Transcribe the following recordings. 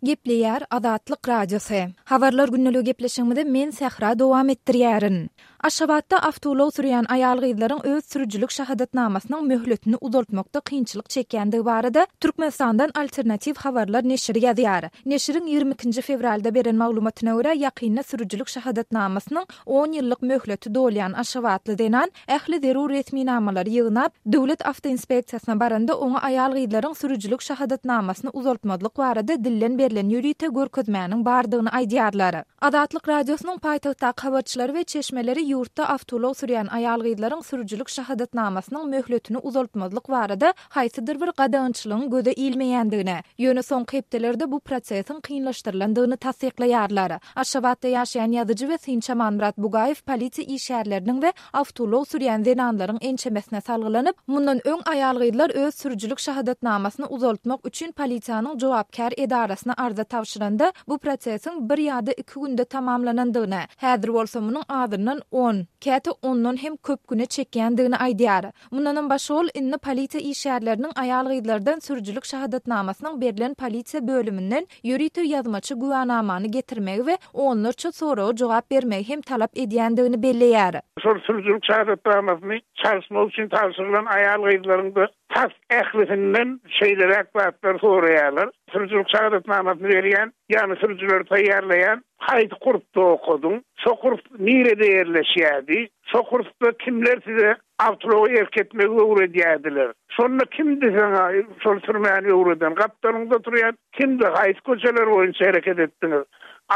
Gepleýär Azatlyk Radiosy. Habarlar gündeligi gepleşigimizi men Sähra dowam etdirýärin. Aşgabatda awtoulag sürýän aýal-gyzlaryň öz sürüjilik şahadatnamasynyň möhletini uzaltmakda kynçylyk çekýändigi barada Türkmenistandan Alternatiw habarlar neşiri ýazýar. Neşiriň 22-nji fewralda beren maglumatyna görä, ýakynda sürüjilik şahadatnamasynyň on ýyllyk möhleti dolýan aşgabatly zenan ähli zerur resminamalary ýygnap, Döwlet awtoinspeksiýasyna baranda oňa aýal-gyzlaryň sürüjilik şahadatnamasyny uzaltmazlyk barada dilden berlen ýörite görkezmäniň bardygyny aýdýarlar. Azatlyk Radiosynyň paýtagtdaky habarçylary we çeşmeleri ýurtda awtoulag sürýän aýal-gyzlaryň sürüjilik şahadatnamasynyň möhletini uzaltmazlyk barada haýsydyr bir gadagançylygyň göze ilmeýändigini, ýöne soňky hepdelerde bu prosesiň kynlaşdyrylandygyny tassyklaýarlar. Aşgabatda ýaşaýan ýazyjy we synçy Amanmyrat Bugaýew polisiýa işgärleriniň we awtoulag sürýän zenanlaryň ençemesine salgylanyp, mundan öň aýal-gyzlar öz sürüjilik şahadatnamasyny uzaltmak üçin polisiýanyň jogapkär edarasyna arza tabşyranda, bu prosesiň bir ýa-da iki günde tamamlanandygyny, häzir bolsa munuň azyndan on, käte ondan hem köp güne çekýändigini aýdýar. Mundanam başga ol indi polisiýa işgärleriniň aýal-gyzlardan sürüjilik şahadatnamasynyň berlen polisiýa bölüminden ýörite ýazmaça güwänamany getirmegi we onlarça soraga jogap bermegi hem talap edýändigini belleýär. Şol sürüjilik şahadatnamasyny çalyşmak üçin tabşyrylan aýal-gyzlaryň-da tas ählisinden şeýleräk zatlary soraýarlar, Sürüjilik şahadatnamasyny berýän, ýagny sürüjileri taýýarlaýan haýsy kursda okadyň, şo kurs nirede ýerleşýärdi, şo kursda kimler size awtoulaga erk etmegi öwredýärdiler, şonda kimdi saňa şol sürmäni öwreden, gapdalyňda oturýan kimdi, haýsy köçeler boýunça hereket etdiňiz,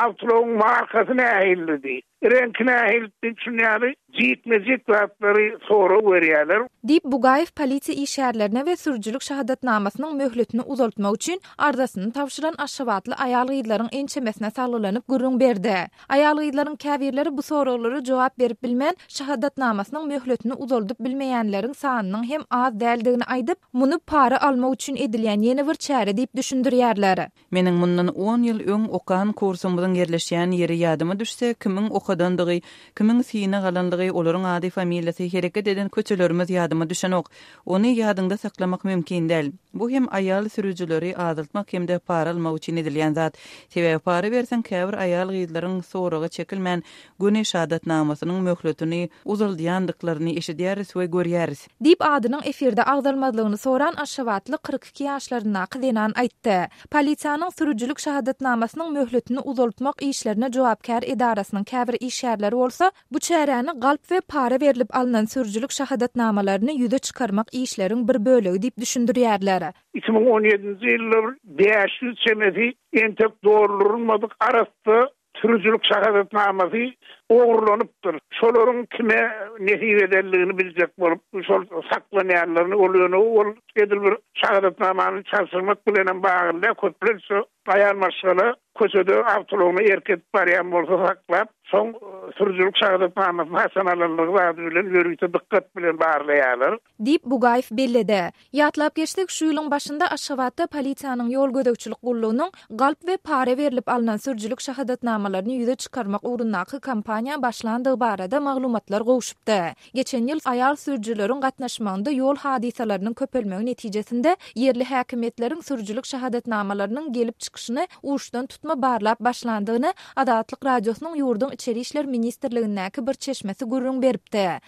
awtoulagyň markasy nähilidi, Reňki nähili diýip şuny ýaly jikme-jik zatlary sorag berýärler. Diýip, Bugaýew polisiýa işgärlerine we sürüjilik şahadatnamasynyň möhletini uzaltmak üçin arzasyny tabşyran aşgabatly aýal-gyzlaryň ençemesine salgylanyp gürrüň berdi. Aýal-gyzlaryň käbirleri bu soraglara jogap berip bilmän, şahadatnamasynyň möhletini uzaldyp bilmeýänleriň sanynyň hem az däldigini aýdyp, muny para almak üçin edilýän ýene bir çäre diýip düşündirýärler. Meniň mundan on ýyl öň okan kursumyzyň ýerleşýän ýeri ýadyma düşse, kimiň okadandygy, kimiň synag alandygy, olaryň ady-familiýasy, hereket eden köçelerimiz ýadyma düşenok. Ony ýadyňda saklamak mümkin däl. Bu hem aýal sürüjileri azaltmak hem-de para almak üçin edilýän zat. Sebäbi para berseň käbir aýal-gyzlaryň soraga çekilmän, göni şahadatnamasynyň möhletini uzaldýandyklaryny eşidýäris we görýäris. Diýip, adynyň efirde agzalmazlygyny soran aşgabatly 42 ýaşlaryndaky zenan aýtdy. Polisiýanyň sürüjilik şahadatnamasynyň möhletini uzaltmak işlerine jogapkär edarasynyň käbir işgärleri bolsa, bu çäräni galp we para berlip alnan sürüjilik şahadatnamalaryny ýüze çykarmak işleriň bir bölegi diýip düşündirýärler. 2017-nji ýylda bir 500 çemesi entek doldurylmadyk arassa Sürüjilik şahadatnamasy ogurlanypdyr. Şolaryň kime nesip edenligini biljek bolup, şol saklanýanlaryny, ol ýöne ol edil bir şahadatnamany çalşyrmak bilenem bagly däl, köplenç şo aýal maşgala köçede awtoulagyna erk edip barýan bolsa saklap, soň sürüjilik şahadatnamasyny haçan alanlygy zady bilen ýörite dykgat bilen barlaýarlar. Diýip, Bugaýew belledi. Ýatlap geçsek, şu ýylyň başynda Aşgabatda polisiýanyň ýol gözegçilik gullugynyň galp we para berlip alnan sürüjilik şahadatnamalaryny ýüze çykarmak ugrundaky kampaniýa başlandygy barada maglumatlar gowşupdy. Geçen ýyl aýal sürüjileriň gatnaşmagynda ýol hadysalarynyň köpelmegi netijesinde ýerli häkimiýetleriň sürüjilik şahadatnamalarynyň gelip çykyşyny uçdan tutma barlap başlandygyny Azatlyk Radiosynyň ýurduň Içeri işler ministrligindäki bir çeşmesi gürrüň beripdi.